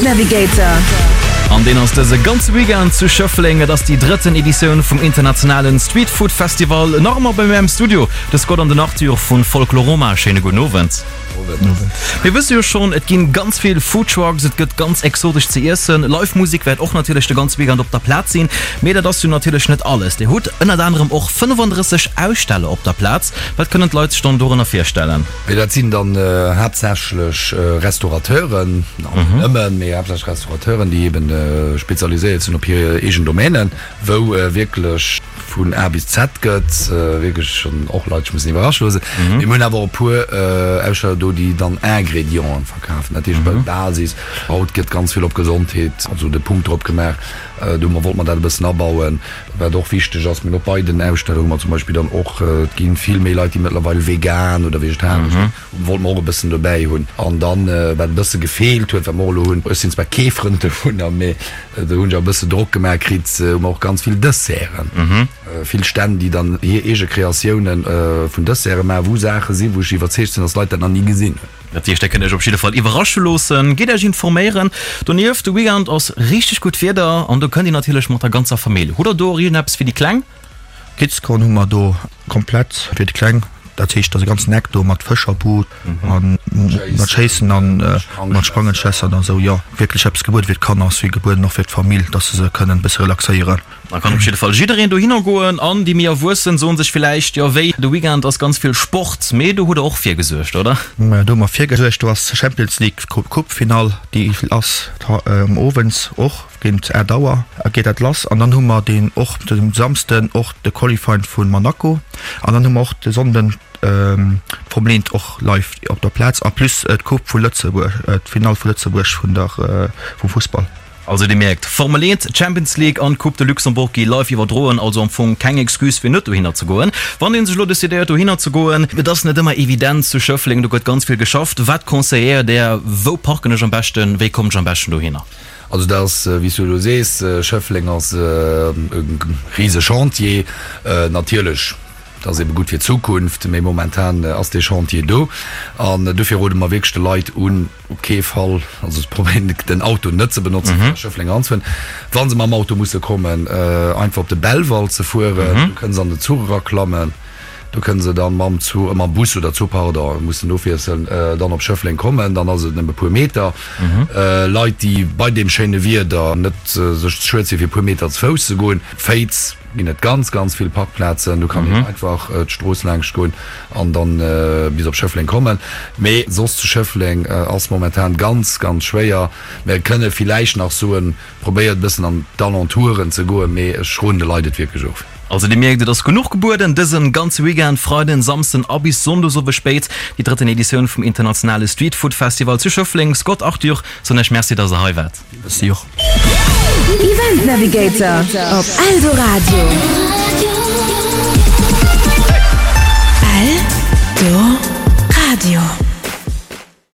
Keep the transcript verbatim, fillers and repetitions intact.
Event Navigator. An deen ass dëse ganze Weekend zu Schëffleng. Et ass déi drëtten Editioun vum internationalen Street Food Festival. Nach ëmmer bei mir am Studio de Scott an den Arthur vu Folkloroma. Schéine gudden Owend. Mir wësse jo schonn, et ginn ganz vill Food Trucks, et gëtt ganz exotesch ze iessen. Live Musek wäert och natierlech de ganze Weekend op der Plaz sinn. Mee dat ass jo natierlech net alles. Dir hutt ënnert anerem och fënnefandrësseg Aussteller op der Plaz. Wat kënnen d'Leit sech dann dorënner virstellen? Mee dat sinn dann haaptsächlech Restaurateuren, net nëmmen, mee haaptsächlech Restaurateuren, déi eben spezialiséiert sinn op hir eegen Domänen, wou wierklech vun A bis Z gëtt, wierklech schonn och Leit sech mussen iwwerrasche loossen. Mee mir hunn awer och e puer Aussteller do, déi dann Ingredienten verkafen, dat heescht bei Basis. Haut gëtt ganz vill op Gesondheet, also de Punkt drop gemaach, do wollte mer dat e bëssen abauen. Wat och wichteg ass, mir hunn och bei den Aussteller hu mer zum Beispill dann och, et gi vill méi Leit, déi mëttlerweil vegan oder vegetaresch sinn, wollte mer och e bëssen dobäi hunn. An dann, wat e bësse gefeelt huet, wat mer och elo hunn, ech sinn zwar kee Frënd dovunner, mee do hunn ech och e bësse Drock gemaach kritt, hu mer och ganz vill Desserten, vill Stänn, déi dann hir eege Kreatioune vun Desserte maachen, wou Saache sinn, wou ech iwwerzeegt sinn, dass d'Leit dat nach ni gesinn hunn. Dat heescht, der kënnt Iech op jidde Fall iwwerrasche loossen. Gitt Iech informéieren. Donieft, de Weekend ass richteg gutt Wieder an do kënnt Dir natierlech mat der ganzer Famill. Hutt der do och iergendeppes fir déi Kleng? Kids Corner hu mer do komplett fir déi Kleng. Dat heescht, da ass e ganzen Eck do mat Fëscherboot a mat Schéissen a mat Sprangenschlässern a sou. Jo, wierklech eppes gebueden fir d'Kanner ass wéi gebueden och fir d'Famill, dass se se kënnen e bësse relaxéieren. Da kann op jidde Fall jiddereen dohinner goen an déi méi Erwuessen soen sech villäicht, jo wéi, de Weekend ass ganz vill Sport, mee do hutt der och virgesuergt, oder? Majo, do hu mer virgesuergt, do ass Champions League Coupe-Finall, déi ass owends och géint aacht Auer geet dat lass an dann hu mer deen och de Samsden och de Qualifying vu Monaco an dann hu mer och de Sonnden d'Formel eent och live op der Plaz a plus d'Coupe vu Lëtzebuerg, d'Finall vu Lëtzebuerg vun der vum Fussball. Also dir mierkt, Formel eent, Champions League an d'Coupe de Luxembourg gi live iwwerdroen, also am Fong keng Excuse fir net dohinner ze goen. Wann een sech elo decidéiert dohinner ze goen, et ass net ëmmer evident zu Schëffleng, do gëtt ganz vill geschafft. Wat conseilléiert där, wou parken ech am beschten, wéi kommen ech am beschten dohinner? Also dat ass, wéi s du elo sees, Schëffleng ass e rise Chantier natierlech. Dat ass ebe gutt fir d'Zukunft, mee momentan ass dee Chantier do an dofir rode mer wierklech de Leit un, op kee Fall, also ze probéieren, den Auto net ze benotzen, fir a Schëffleng eranzefueren. Wa se mam Auto musse kommen, einfach op de Belval ze fueren, do kënne se an den Zuch eraklammen, do kënne se dann mam Zuch, mam Bus oder Zuch, pardon, mussen ofwiesselen, dann op Schëffleng kommen, dann ass et nëmme e puer Meter. Leit, déi bei deem schéine Wieder net sech ze schued sinn, fir e puer Meter ze Fouss ze goen, Féiz, ginn et ganz, ganz vill Parkplazen. Do kann een einfach d'Strooss laangscht goen an dann bis op Schëffleng kommen. Mee soss zu Schëffleng ass momentan ganz, ganz schwéier. Mir kënne villäicht nach soen, probéiert e bëssen an d'Alentouren ze goen, mee ech roden de Leit et wierklech of. Also Dir mierkt, et ass genuch gebueden dësen ganze Weekend, Freiden, Samsden a bis Sonndes owes spéit, déi drëtten Editioun vum internationale Street Food Festival zu Schëffleng. Scott, Arthur, soen Iech Merci, dass Der hei waart. Merci och. Event Navigator op Eldoradio. Eldoradio.